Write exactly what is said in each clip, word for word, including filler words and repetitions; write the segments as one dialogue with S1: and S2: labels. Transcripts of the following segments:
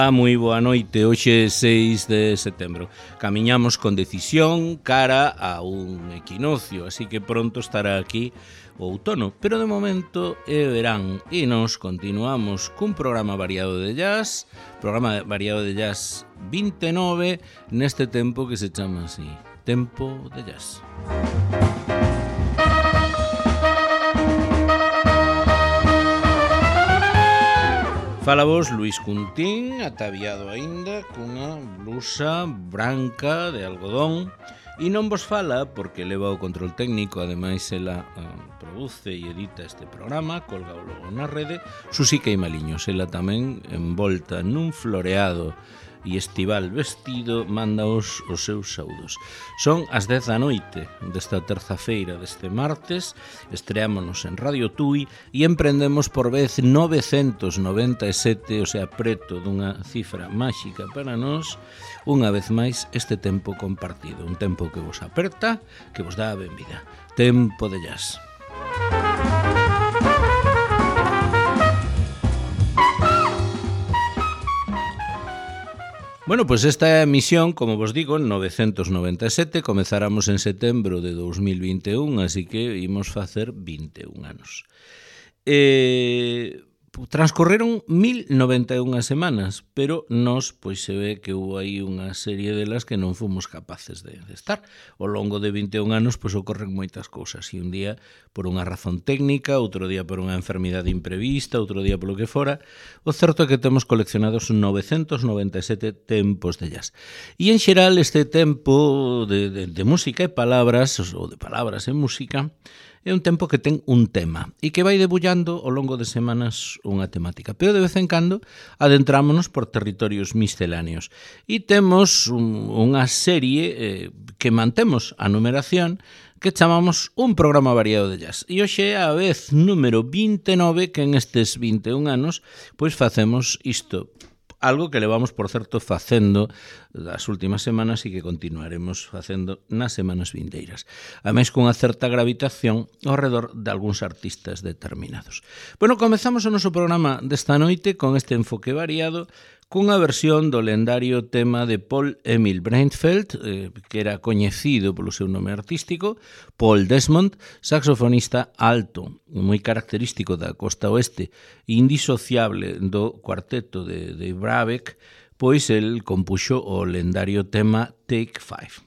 S1: Ola, moi boa noite. Hoxe é seis de setembro. Camiñamos con decisión cara a un equinoccio, así que pronto estará aquí o outono, pero de momento é verán e nos continuamos cun programa variado de jazz, programa variado de jazz vinte e nove, neste tempo que se chama así, Tempo de Jazz. Fala vos Luis Cuntín, ataviado aínda cunha blusa branca de algodón, e non vos fala porque leva o control técnico, ademais ela uh, produce e edita este programa, colga o logo na rede, Susica e Maliños, ela tamén envolta nun floreado e estival vestido, mandaos os seus saudos. Son as dez da noite desta terza-feira deste martes, estreámonos en Radio Tui e emprendemos por vez novecentos noventa e sete, o sea, preto dunha cifra máxica para nós, unha vez máis este tempo compartido, un tempo que vos aperta, que vos dá a benvida. Tempo de Jazz. Bueno, pois pues esta emisión, como vos digo, en novecentos noventa e sete, comezáramos en setembro de dos mil vinte e un, así que imos facer vinte e un anos. Eh, transcorreron mil noventa e unha semanas, pero nós, pois se ve que hubo aí unha serie delas que non fomos capaces de, de estar. Ao longo de vinte e un anos, pois ocorren moitas cousas, e un día por unha razón técnica, outro día por unha enfermidade imprevista, outro día polo que fora. O certo é que temos coleccionados novecentos noventa e sete tempos de jazz. E en xeral este tempo de, de, de música e palabras, ou de palabras e música, é un tempo que ten un tema e que vai debullando ao longo de semanas unha temática, pero de vez en cando adentrámonos por territorios misceláneos e temos un, unha serie eh, que mantemos a numeración que chamamos un programa variado de jazz. E hoxe é a vez número vinte e nove que en estes vinte e un anos pois facemos isto. Algo que levamos, por certo, facendo das últimas semanas e que continuaremos facendo nas semanas vindeiras. Ademais, cunha certa gravitación ao redor de algúns artistas determinados. Bueno, comezamos o noso programa desta noite con este enfoque variado, cunha versión do lendario tema de Paul Emil Breitfeld, eh, que era coñecido polo seu nome artístico, Paul Desmond, saxofonista alto, moi característico da costa oeste, indisociable do cuarteto de, de Brabeck, pois el compuxo o lendario tema Take Five.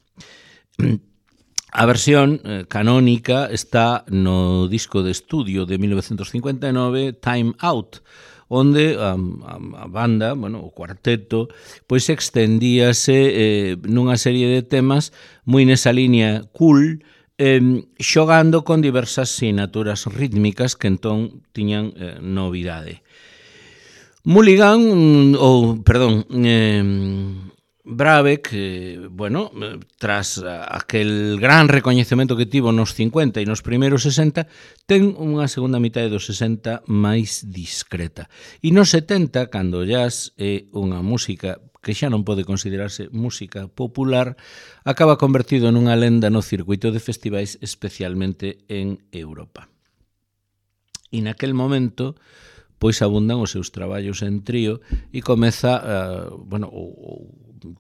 S1: A versión eh, canónica está no disco de estudio de mil novecentos cincuenta e nove, Time Out, onde a, a, a banda, bueno, o cuarteto, pois extendíase eh, nunha serie de temas moi nesa liña cool, eh, xogando con diversas sinaturas rítmicas que entón tiñan eh, novidade. Mulligan, ou, perdón, eh, Brabeck, eh, bueno, tras aquel gran recoñecemento que tivo nos cincuenta e nos primeiros sesenta, ten unha segunda mitade dos sesenta máis discreta. E nos setenta, cando o jazz é unha música que xa non pode considerarse música popular, acaba convertido nunha lenda no circuito de festivais, especialmente en Europa. E naquel momento, pois abundan os seus traballos en trío e comeza, uh, bueno, o, o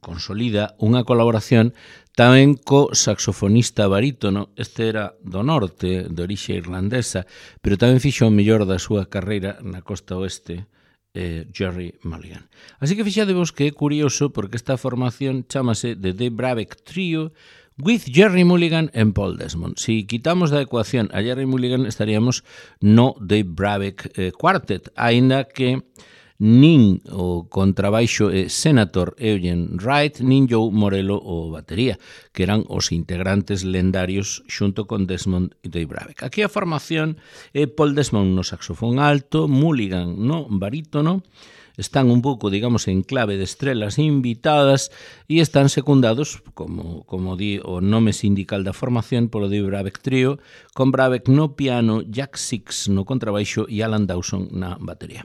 S1: consolida unha colaboración tamén co saxofonista barítono, este era do norte, de orixe irlandesa, pero tamén fixo o mellor da súa carreira na costa oeste, eh, Gerry Mulligan. Así que fixadevos que é curioso porque esta formación chamase The Dave Brabeck Trio with Gerry Mulligan and Paul Desmond. Si quitamos da ecuación a Gerry Mulligan estaríamos no Dave Brabeck eh, Quartet, aínda que nin o contrabaixo e Senator Eugene Wright, nin Joe Morello o batería, que eran os integrantes lendarios xunto con Desmond e Dave Brabeck. Aquí a formación é Paul Desmond no saxofón alto, Mulligan no barítono, están un pouco, digamos, en clave de estrelas invitadas e están secundados, como, como di o nome sindical da formación, polo de Brabeck Trio, con Brabeck no piano, Jack Six no contrabaixo e Alan Dawson na batería.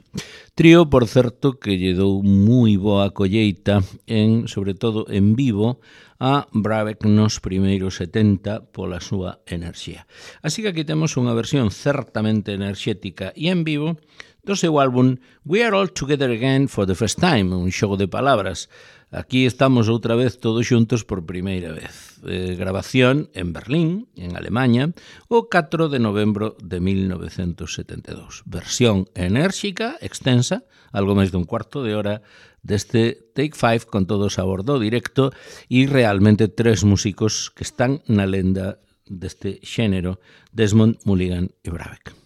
S1: Trío, por certo, que lle dou moi boa colleita, en, sobre todo en vivo, a Brabeck nos primeiros setenta pola súa enerxía. Así que aquí temos unha versión certamente enerxética e en vivo do seu álbum We Are All Together Again for the First Time, un xogo de palabras. Aquí estamos outra vez todos xuntos por primeira vez. Eh, grabación en Berlín, en Alemanha, o catro de novembro de mil novecentos setenta e dous. Versión enérxica, extensa, algo máis dun cuarto de hora, deste Take Five con todo o sabor do directo e realmente tres músicos que están na lenda deste xénero, Desmond, Mulligan e Brabeck.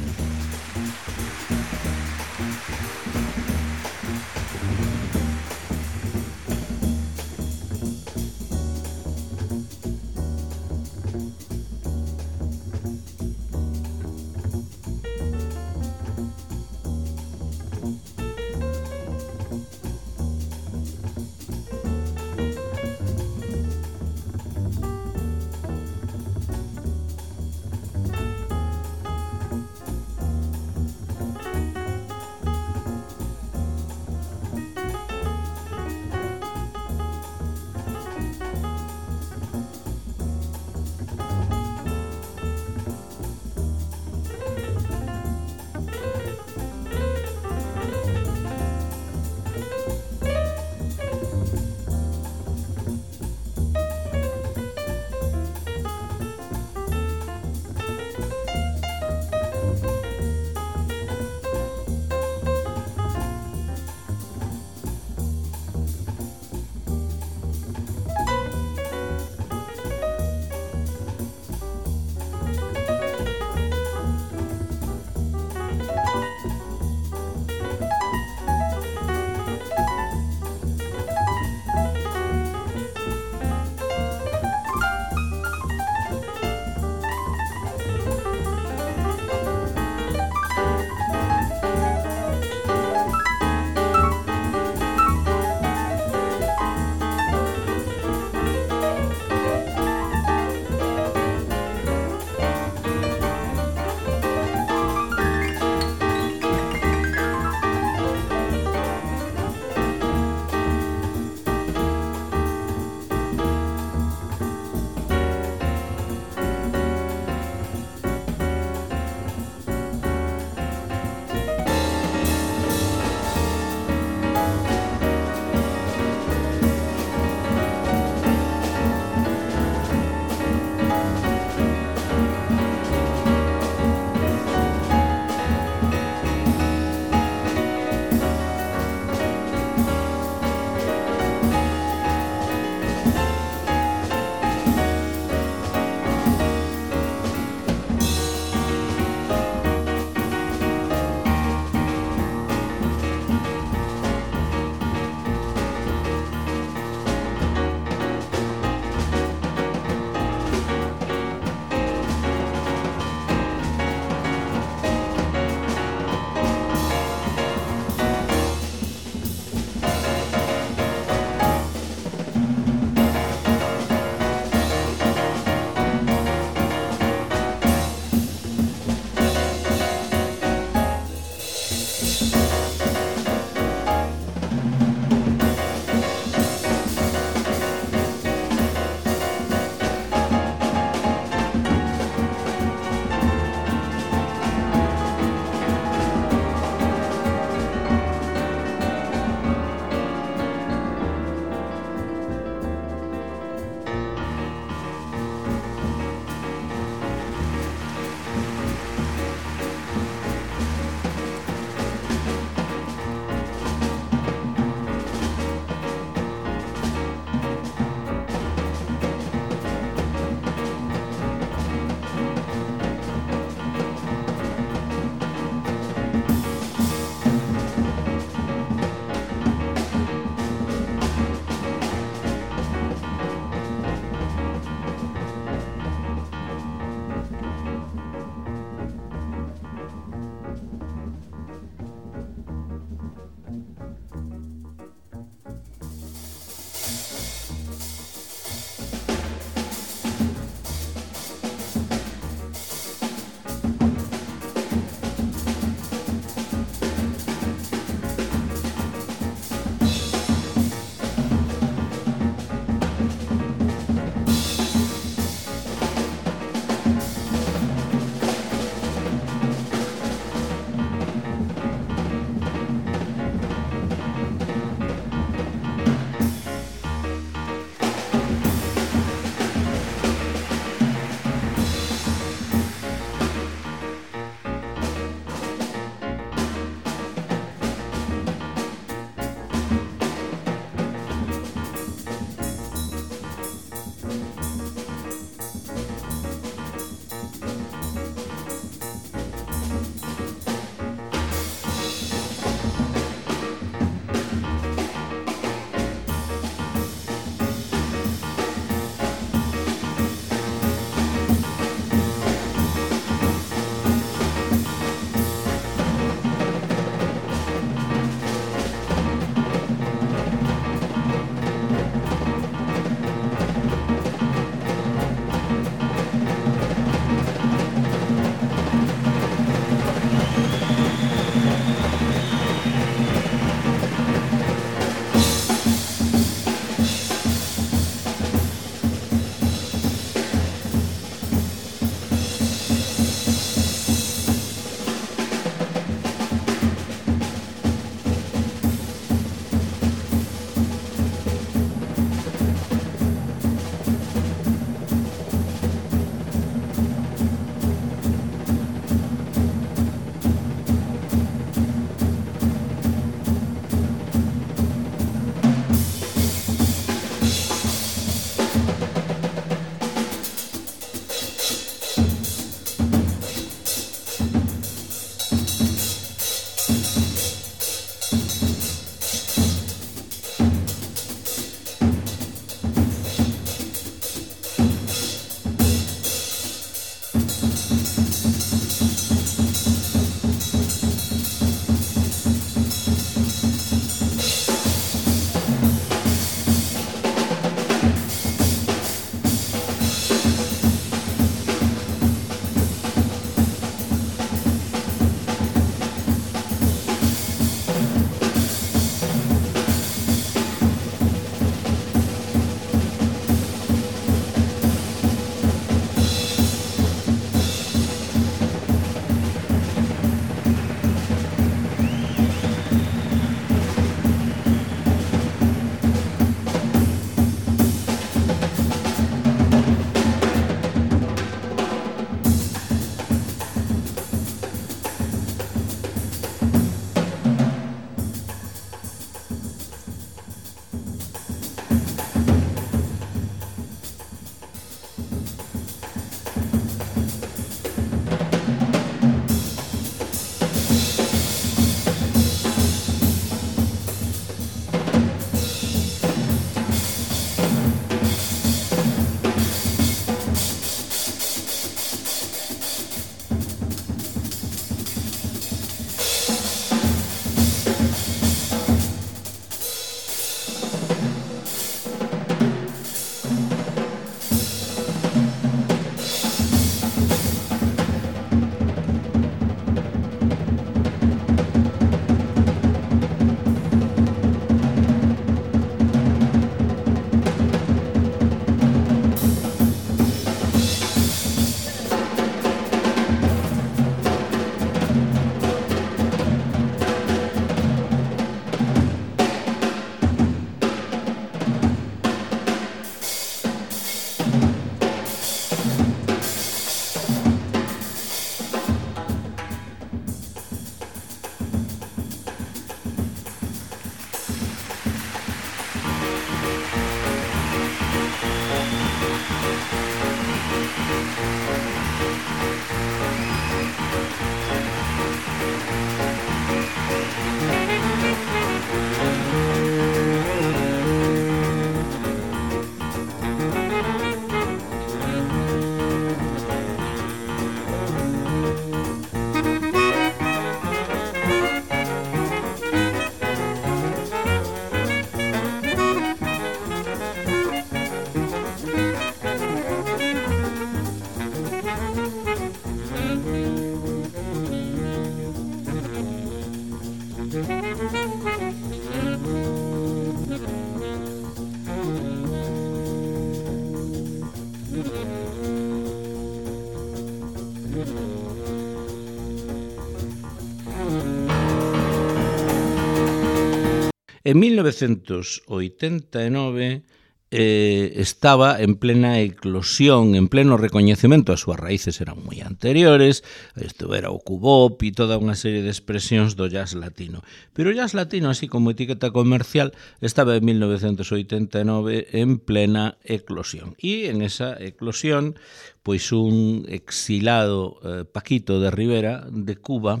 S1: En mil novecentos oitenta e nove eh, estaba en plena eclosión, en pleno recoñecemento, as súas raíces eran moi anteriores, isto era o cubop e toda unha serie de expresións do jazz latino. Pero o jazz latino, así como etiqueta comercial, estaba en mil novecentos oitenta e nove en plena eclosión. E en esa eclosión, pois un exilado eh, Paquito de Rivera, de Cuba,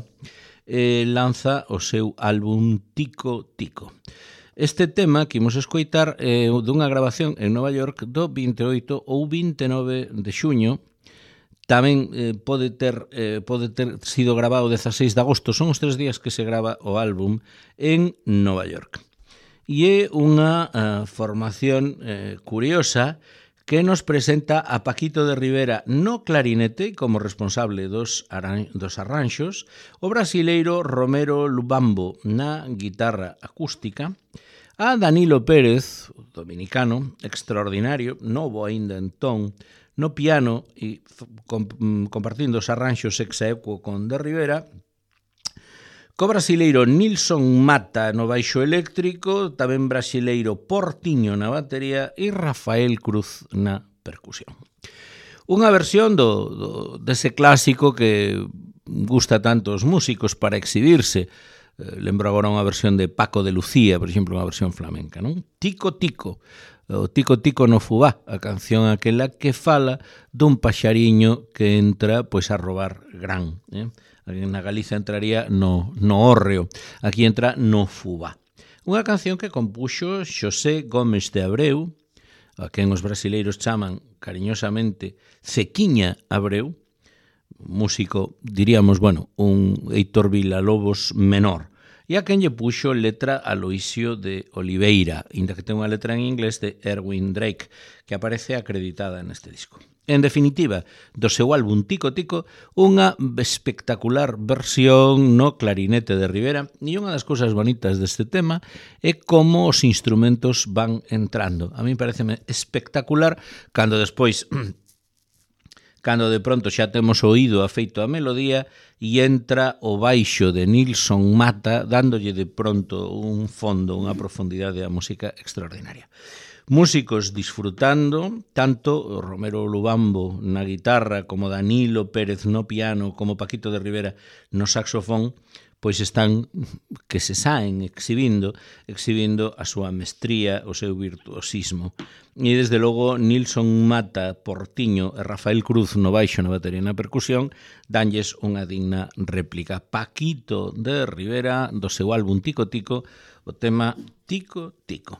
S1: eh, lanza o seu álbum Tico Tico. Este tema que imos escoitar é dunha grabación en Nova York do vinte e oito ou vinte e nove de xuño. Tamén eh, pode ter eh, pode ter sido grabado o dezaseis de agosto, son os tres días que se grava o álbum en Nova York. E é unha uh, formación eh, curiosa que nos presenta a Paquito de Rivera no clarinete como responsable dos, aran dos arranxos, o brasileiro Romero Lubambo na guitarra acústica, a Danilo Pérez, dominicano, extraordinario, novo aínda entón, no piano e compartindo os arranxos ex aequo con de Rivera, co brasileiro Nilson Mata no baixo eléctrico, tamén brasileiro Portiño na batería e Rafael Cruz na percusión. Unha versión do, do, dese clásico que gusta tanto aos músicos para exhibirse. Eh, lembro agora unha versión de Paco de Lucía, por exemplo, unha versión flamenca, non? Tico Tico, o Tico Tico no Fubá, a canción aquela que fala dun paxariño que entra pois a robar gran, eh? Na Galiza entraría no, no hórreo, aquí entra no Fubá. Unha canción que compuxo Xosé Gómez de Abreu, a quen os brasileiros chaman cariñosamente Cequiña Abreu, músico, diríamos, bueno, un Heitor Villa-Lobos menor, e a quen lle puxo letra a Loisio de Oliveira, inda que ten unha letra en inglés de Erwin Drake, que aparece acreditada neste disco. En definitiva, do seu álbum Tico Tico, unha espectacular versión no clarinete de Rivera, e unha das cousas bonitas deste tema é como os instrumentos van entrando. A mí pareceme espectacular cando despois, cando de pronto xa temos oído afeito a melodía e entra o baixo de Nilson Mata dándolle de pronto un fondo, unha profundidade á música extraordinaria. Músicos disfrutando, tanto Romero Lubambo na guitarra, como Danilo Pérez no piano, como Paquito de Rivera no saxofón, pois están que se saen exhibindo, exhibindo a súa mestría, o seu virtuosismo. E desde logo Nilson Mata, Portiño e Rafael Cruz no baixo, na batería e na percusión, danlles unha digna réplica. Paquito de Rivera, do seu álbum Tico Tico, o tema Tico Tico.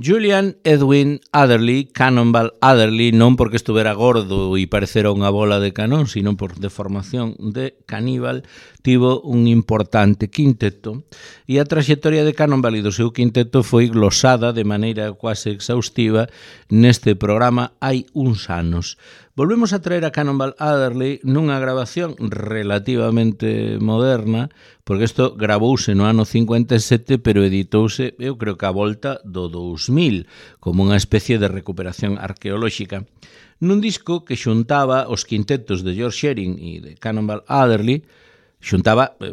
S1: Julian Edwin Adderley, Cannonball Adderley, non porque estuvera gordo e parecera unha bola de canón, sino por deformación de caníbal, tivo un importante quinteto e a traxectoria de Cannonball e do seu quinteto foi glosada de maneira quase exhaustiva neste programa hai uns anos. Volvemos a traer a Cannonball Adderley nunha grabación relativamente moderna, porque isto gravouse no ano cincuenta e sete, pero editouse, eu creo que a volta do dous mil, como unha especie de recuperación arqueolóxica. Nun disco que xuntaba os quintetos de George Shearing e de Cannonball Adderley, xuntaba eh,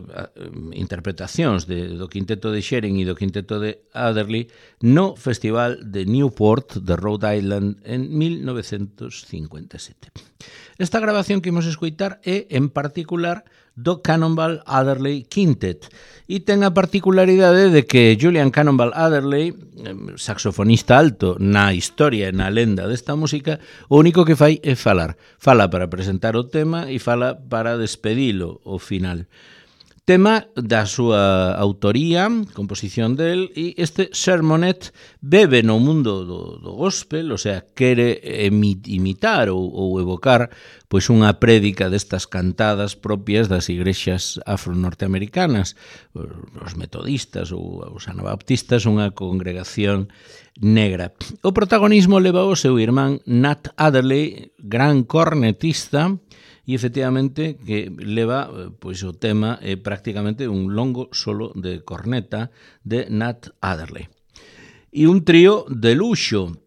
S1: interpretacións de, do quinteto de Shearing e do quinteto de Adderley no Festival de Newport de Rhode Island en mil novecentos cincuenta e sete. Esta grabación que imos escoitar é, en particular, do Cannonball Adderley Quintet e ten a particularidade de que Julian Cannonball Adderley, saxofonista alto na historia e na lenda desta música, o único que fai é falar. Fala para presentar o tema e fala para despedilo ao final. Tema da súa autoría, composición del, e este sermonet bebe no mundo do, do gospel, o sea, quere imitar ou, ou evocar pois unha prédica destas cantadas propias das igrexas afro-norteamericanas, os metodistas ou os anabaptistas, unha congregación negra. O protagonismo leva o seu irmán Nat Adderley, gran cornetista, e efectivamente que leva pois o tema é prácticamente un longo solo de corneta de Nat Adderley. E un trío de luxo,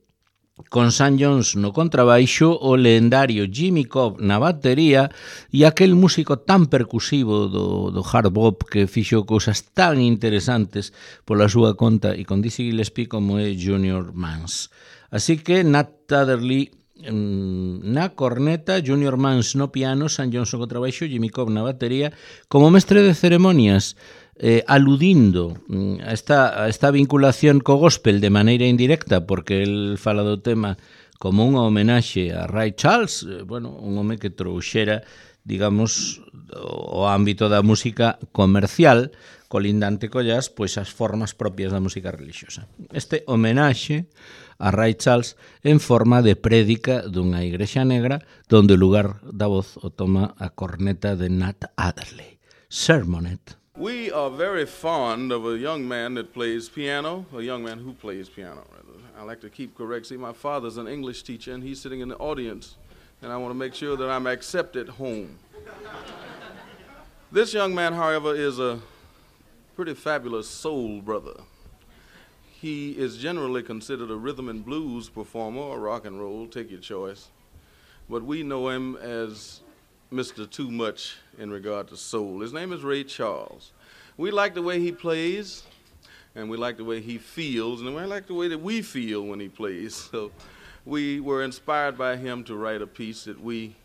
S1: con Sam Jones no contrabaixo, o lendario Jimmy Cobb na batería e aquel músico tan percusivo do, do hard bop que fixo cousas tan interesantes pola súa conta e con Dizzy Gillespie como é Junior Mans. Así que Nat Adderley na corneta, Junior Mans no piano, Sam Jones no contrabaixo, Jimmy Cobb na batería, como mestre de ceremonias, eh, aludindo a esta, a esta vinculación co gospel de maneira indirecta, porque el fala do tema como unha homenaxe a Ray Charles, eh, bueno, un home que trouxera, digamos, o ámbito da música comercial, colindante co jazz, pois as formas propias da música religiosa. Este homenaxe a Ray Charles en forma de prédica dunha igrexa negra donde o lugar da voz o toma a corneta de Nat Adderley. Sermonet.
S2: We are very fond of a young man that plays piano, a young man who plays piano, rather. I like to keep correct. See, my father's an English teacher, and he's sitting in the audience, and I want to make sure that I'm accepted home. This young man, however, is a pretty fabulous soul brother. He is generally considered a rhythm and blues performer or rock and roll, take your choice. But we know him as Mister Too Much in regard to soul. His name is Ray Charles. We like the way he plays, and we like the way he feels, and we like the way that we feel when he plays. So we were inspired by him to write a piece that we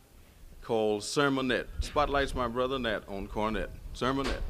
S2: call Sermonette. Spotlights my brother Nat on cornet. Sermonette.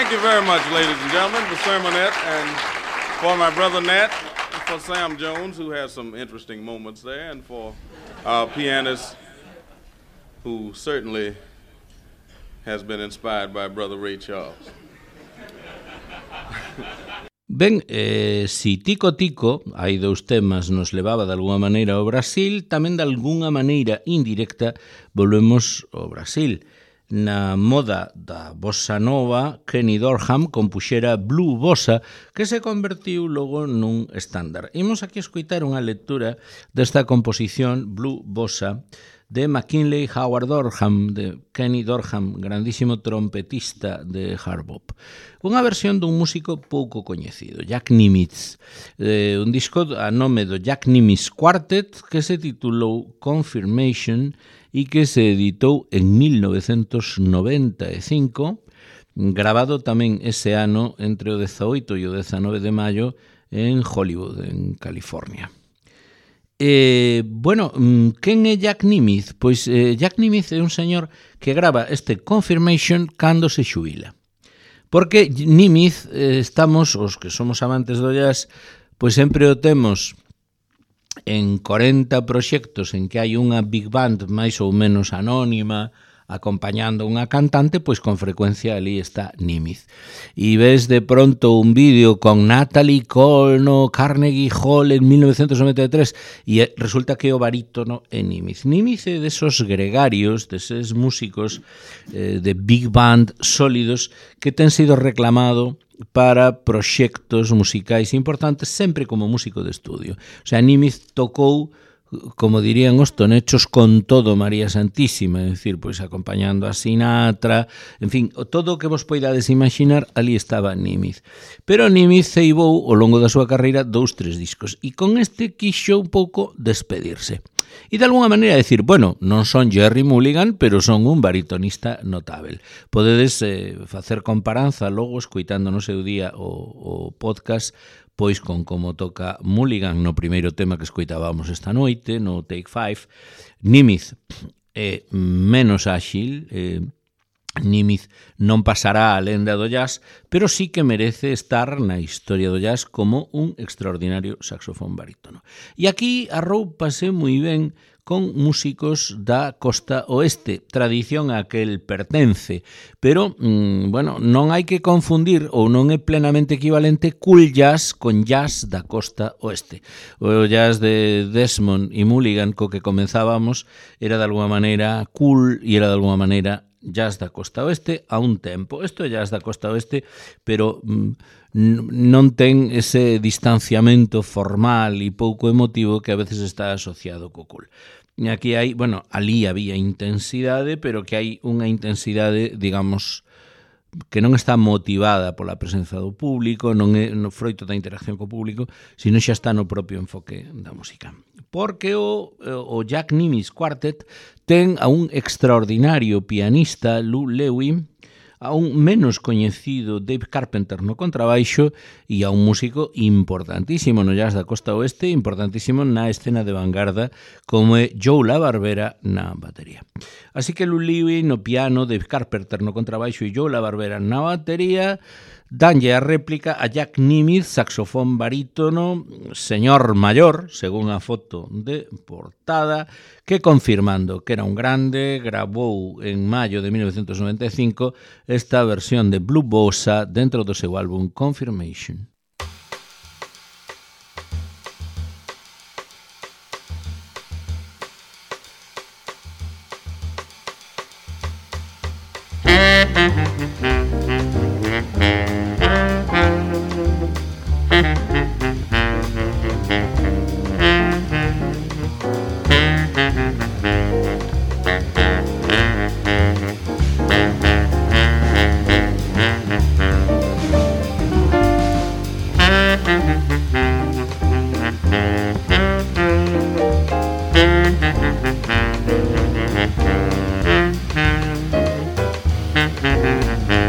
S2: thank you very much, ladies and gentlemen, for Sermonette and for my brother Nat, for Sam Jones, who has some interesting moments there, and for our pianist, who certainly has been inspired by brother Ray Charles.
S1: Ben, eh, si Tico Tico, hai dous temas, nos levaba de alguna maneira ao Brasil, tamén de alguna maneira indirecta volvemos ao Brasil. Na moda da bossa nova, Kenny Dorham compuxera Blue Bossa, que se convertiu logo nun estándar. Imos aquí escoitar unha lectura desta composición Blue Bossa de McKinley Howard Dorham, de Kenny Dorham, grandísimo trompetista de hard bop. Unha versión dun músico pouco coñecido, Jack Nimitz, eh, un disco a nome do Jack Nimitz Quartet que se titulou Confirmation e que se editou en mil novecentos noventa e cinco, grabado tamén ese ano entre o dezaoito e o dezanove de maio en Hollywood, en California. Eh, bueno, quen é Jack Nimitz? Pois eh, Jack Nimitz é un señor que grava este Confirmation cando se xubila. Porque Nimitz, eh, estamos, os que somos amantes do jazz, pois sempre o temos en corenta proxectos en que hai unha big band máis ou menos anónima acompañando unha cantante, pois con frecuencia ali está Nimitz. E ves de pronto un vídeo con Natalie Cole no Carnegie Hall en mil novecentos noventa e tres e resulta que o barítono é Nimitz. Nimitz é desos gregarios, deses músicos eh, de big band sólidos que ten sido reclamado para proxectos musicais importantes sempre como músico de estudio. O sea, Nimitz tocou, como dirían os tonechos, con todo María Santísima, é dicir, pois acompañando a Sinatra, en fin, todo o que vos poidades imaginar, ali estaba Nimitz. Pero Nimitz ceibou ao longo da súa carreira dous, tres discos, e con este quixo un pouco despedirse. E de alguna maneira decir, bueno, non son Jerry Mulligan, pero son un baritonista notável. Podedes eh, facer comparanza logo escoitando no seu día o, o podcast pois con como toca Mulligan no primeiro tema que escoitábamos esta noite, no Take Five. Nimitz é menos áxil, eh, Nimitz non pasará a lenda do jazz, pero sí que merece estar na historia do jazz como un extraordinario saxofón barítono. E aquí arroupase moi ben con músicos da costa oeste, tradición a que el pertence, pero, mmm, bueno, non hai que confundir ou non é plenamente equivalente cool jazz con jazz da costa oeste. O jazz de Desmond e Mulligan co que comenzábamos era de alguma maneira cool e era de alguma maneira jazz da costa oeste a un tempo. Isto é jazz da costa oeste, pero mm, non ten ese distanciamento formal e pouco emotivo que a veces está asociado co cool. E aquí hai, bueno, ali había intensidade, pero que hai unha intensidade, digamos, que non está motivada pola presenza do público, non é no froito da interacción co público, sino xa está no propio enfoque da música. Porque o, o Jack Nimitz Quartet ten a un extraordinario pianista, Lou Lewis, a un menos coñecido Dave Carpenter no contrabaixo e a un músico importantísimo no jazz da costa oeste, importantísimo na escena de vanguarda como é Joe LaBarbera na batería. Así que Lou Lewis no piano, Dave Carpenter no contrabaixo e Joe LaBarbera na batería danlle a réplica a Jack Nimitz, saxofón barítono, señor maior, según a foto de portada, que confirmando que era un grande, grabou en maio de mil novecentos noventa e cinco esta versión de Blue Bossa dentro do seu álbum Confirmation.
S3: Mm-hmm.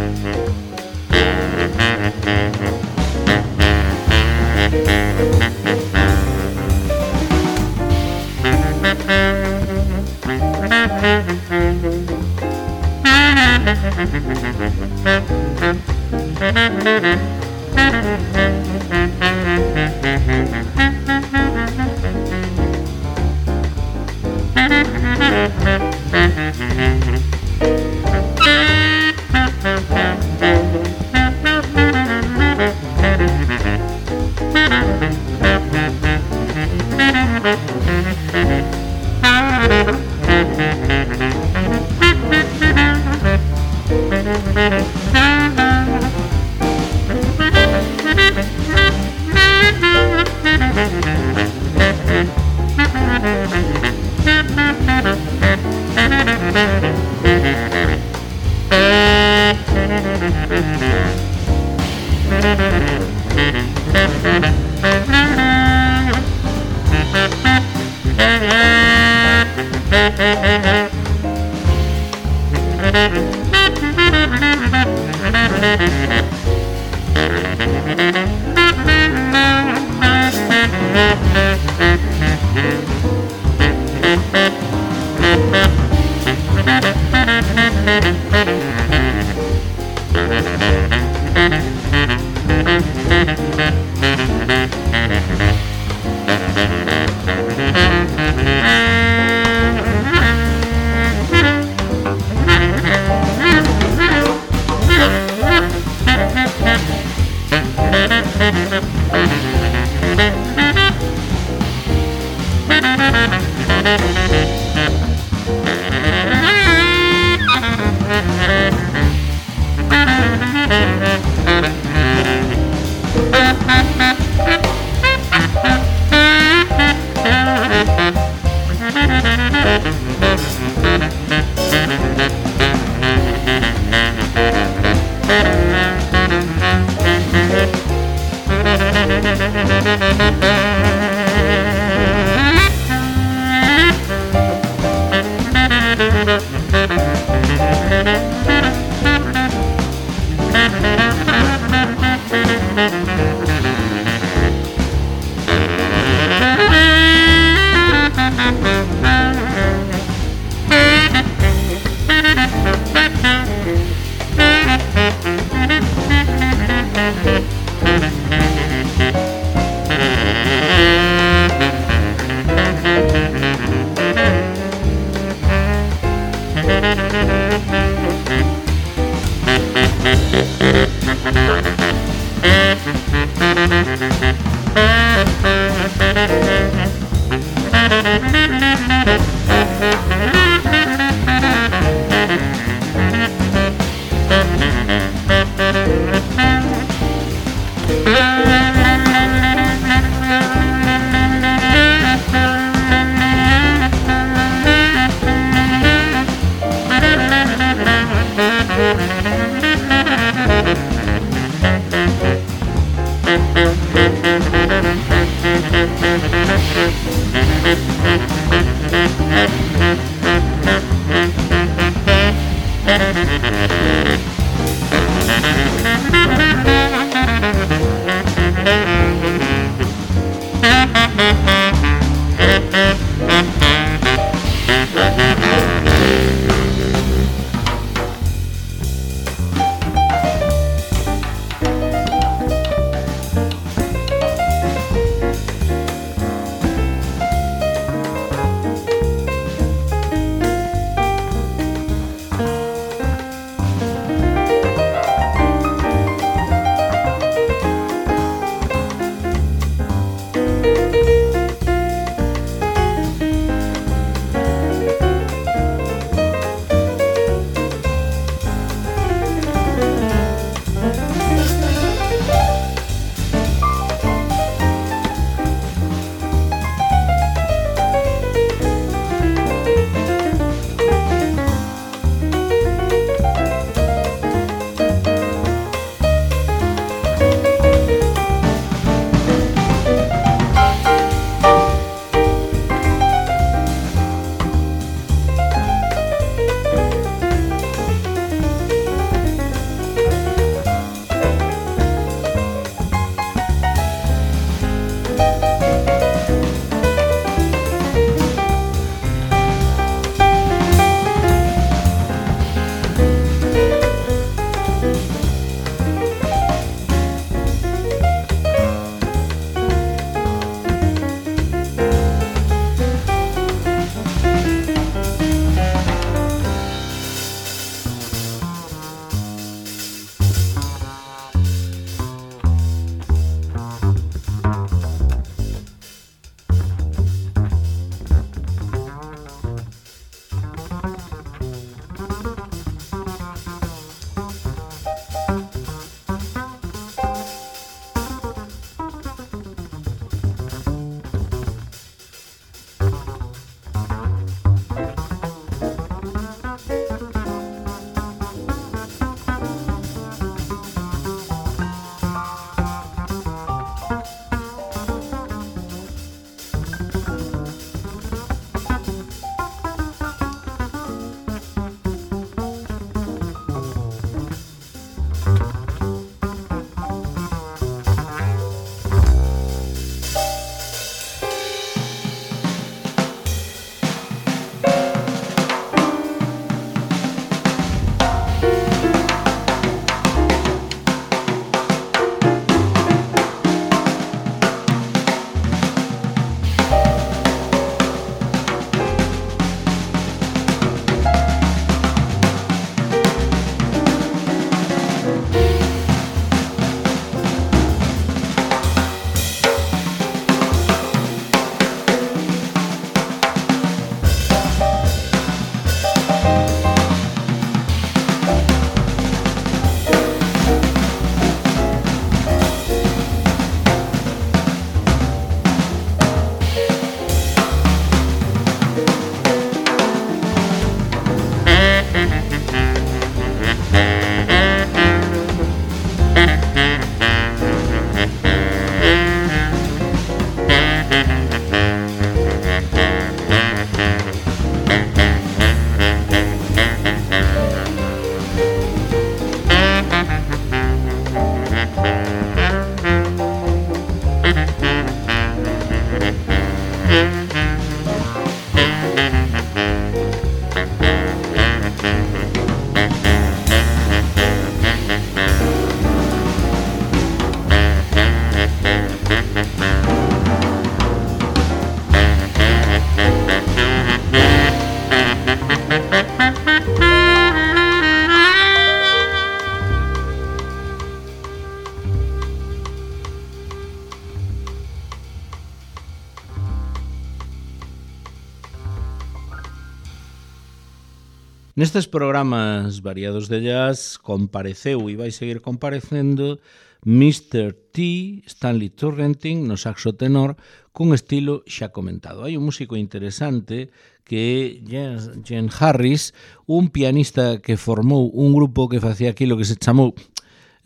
S1: Nestes programas variados de jazz compareceu e vai seguir comparecendo mister T, Stanley Turrentine, no saxo tenor, cun estilo xa comentado. Hai un músico interesante que é Gene Harris, un pianista que formou un grupo que facía aquilo que se chamou,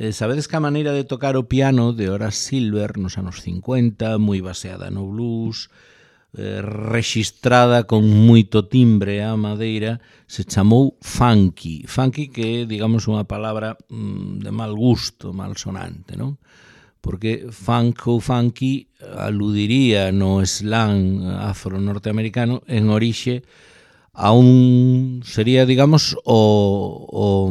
S1: eh, sabedes que a maneira de tocar o piano de Horace Silver nos anos cincuenta, moi baseada no blues, eh, rexistrada con moito timbre a madeira, se chamou funky. Funky que é, digamos, unha palabra mm, de mal gusto, mal sonante, non? Porque funk ou funky aludiría no slang afro-norteamericano en orixe a un, sería, digamos, o, o,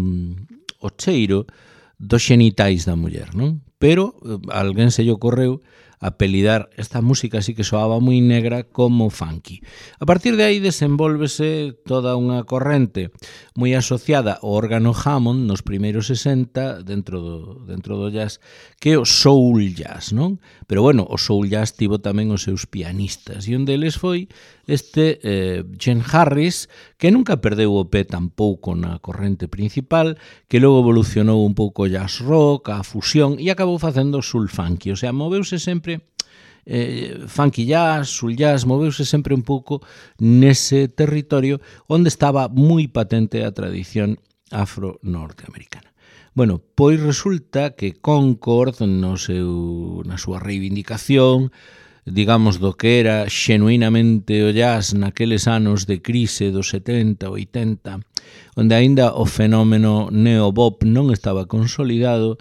S1: o cheiro dos xenitais da muller, non? Pero a alguén se lle ocorreu apelidar esta música así que soaba moi negra como funky. A partir de aí desenvolvese toda unha corrente moi asociada ao órgano Hammond nos primeiros sesenta dentro do, dentro do jazz, que é o soul jazz, non? Pero bueno, o soul jazz tivo tamén os seus pianistas e un deles foi este eh, Gene Harris, que nunca perdeu o pé tampouco na corrente principal, que logo evolucionou un pouco jazz rock, a fusión e acabou facendo soul funky, o sea, moveuse sempre Eh, funky jazz, soul jazz, moveuse sempre un pouco nese territorio onde estaba moi patente a tradición afro-norteamericana. Bueno, pois resulta que Concord, no seu, na súa reivindicación, digamos, do que era xenuinamente o jazz naqueles anos de crise dos setenta, oitenta, onde aínda o fenómeno neobop non estaba consolidado,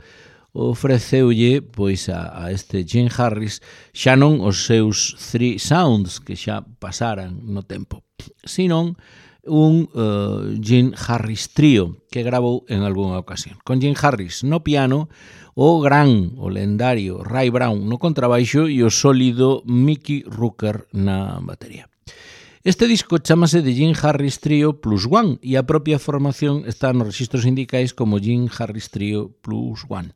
S1: ofreceulle pois a, a este Gene Harris xa non os seus three sounds que xa pasaran no tempo, senón un uh, Gene Harris trío que gravou en algunha ocasión. Con Gene Harris no piano, o gran, o lendario Ray Brown no contrabaixo e o sólido Mickey Rooker na batería. Este disco chamase de Gene Harris Trio Plus One e a propia formación está nos registros sindicais como Gene Harris Trio Plus One,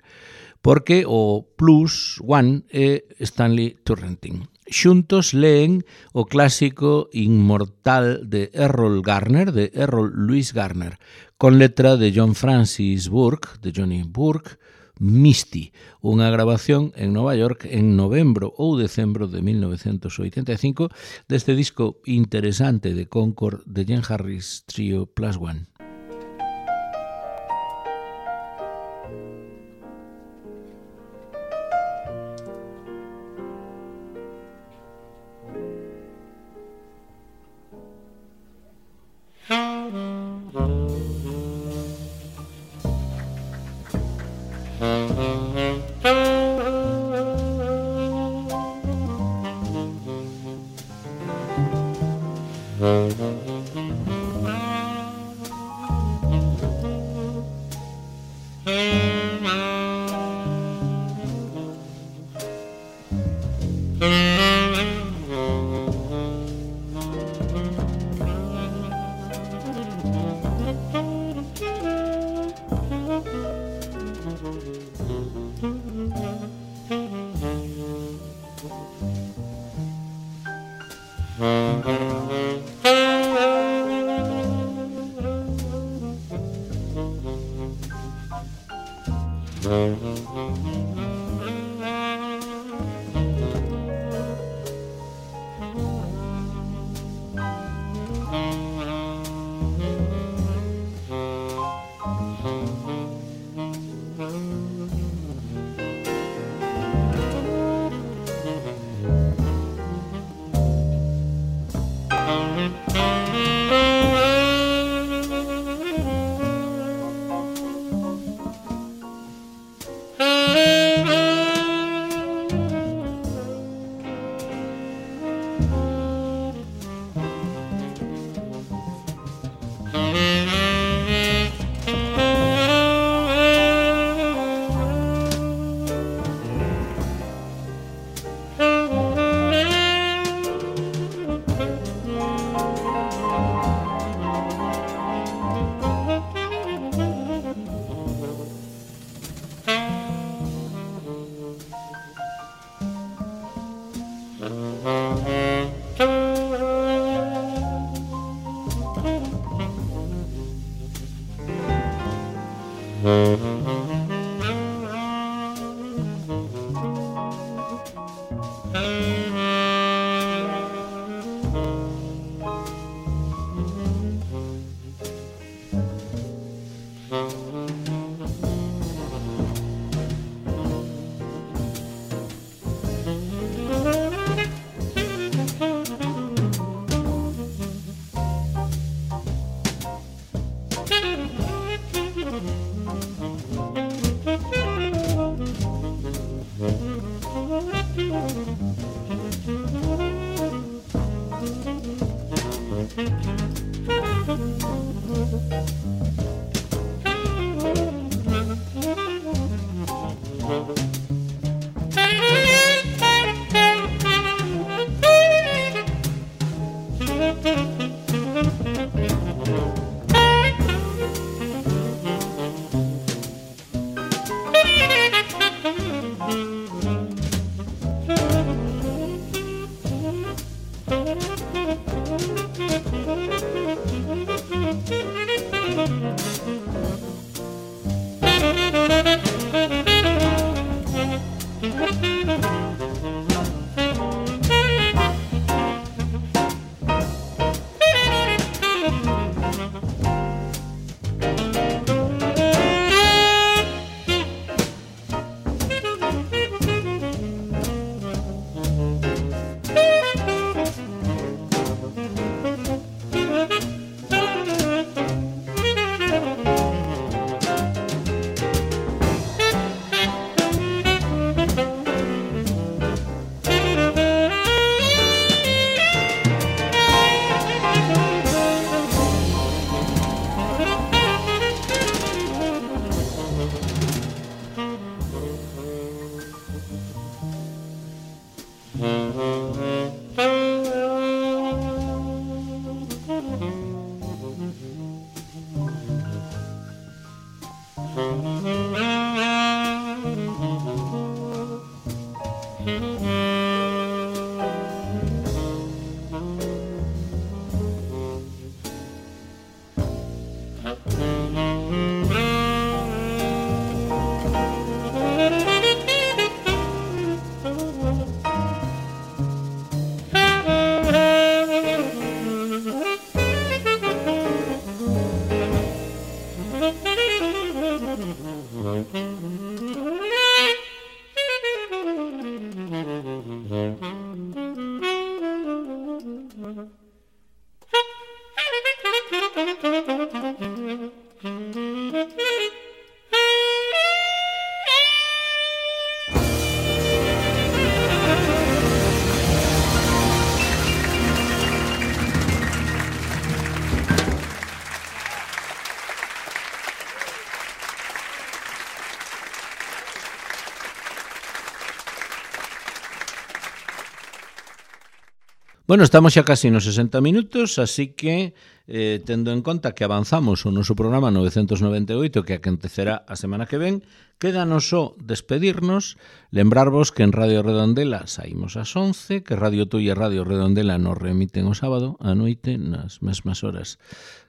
S1: porque o Plus One é Stanley Turrentine. Xuntos leen o clásico inmortal de Errol Garner, de Errol Louis Garner, con letra de John Francis Burke, de Johnny Burke, Misty, unha grabación en Nova York en novembro ou decembro de mil novecentos oitenta e cinco deste disco interesante de Concord de Gene Harris Trio Plus One. Bueno, estamos xa casi nos sesenta minutos, así que, eh, tendo en conta que avanzamos o noso programa novecentos noventa e oito, que acontecerá a semana que ven, quédanos só despedirnos, lembrarvos que en Radio Redondela saímos ás once, que Radio Tui e Radio Redondela nos remiten o sábado a noite nas mesmas horas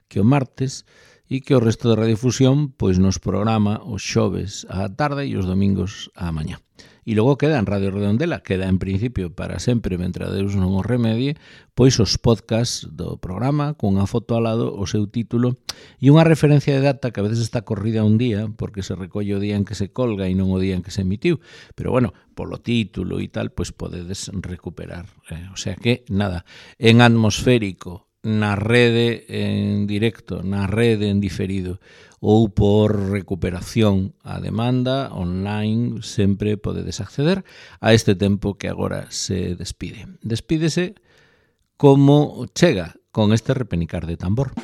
S1: que o martes, e que o resto de Radiofusión pois nos programa os xoves á tarde e os domingos á mañá. E logo queda en Radio Redondela, queda en principio para sempre, mentre Deus non o remedie, pois os podcasts do programa, cunha foto ao lado, o seu título, e unha referencia de data que a veces está corrida un día, porque se recolle o día en que se colga e non o día en que se emitiu. Pero bueno, polo título e tal, pois podedes recuperar. Eh, o sea que, nada, en atmosférico, na rede en directo, na rede en diferido, ou por recuperación a demanda online, sempre podedes acceder a este tempo que agora se despide. Despídese como chega, con este repenicar de tambor.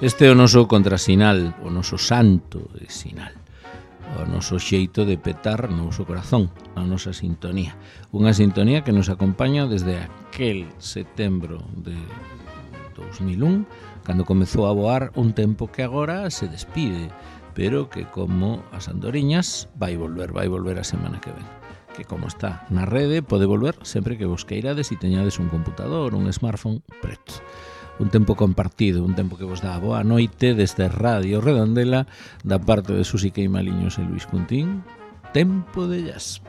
S1: Este é o noso contrasinal, o noso santo de sinal, o noso xeito de petar no noso corazón, a nosa sintonía. Unha sintonía que nos acompaña desde aquel setembro de dos mil un, cando comezou a voar un tempo que agora se despide, pero que como as andoriñas vai volver, vai volver a semana que ven. Que como está na rede, pode volver sempre que vos queirades e teñades un computador, un smartphone preto. Un tempo compartido, un tempo que vos dá boa noite desde Radio Redondela, da parte de Susi Queimaliños e Luis Cuntín. Tempo de jazz.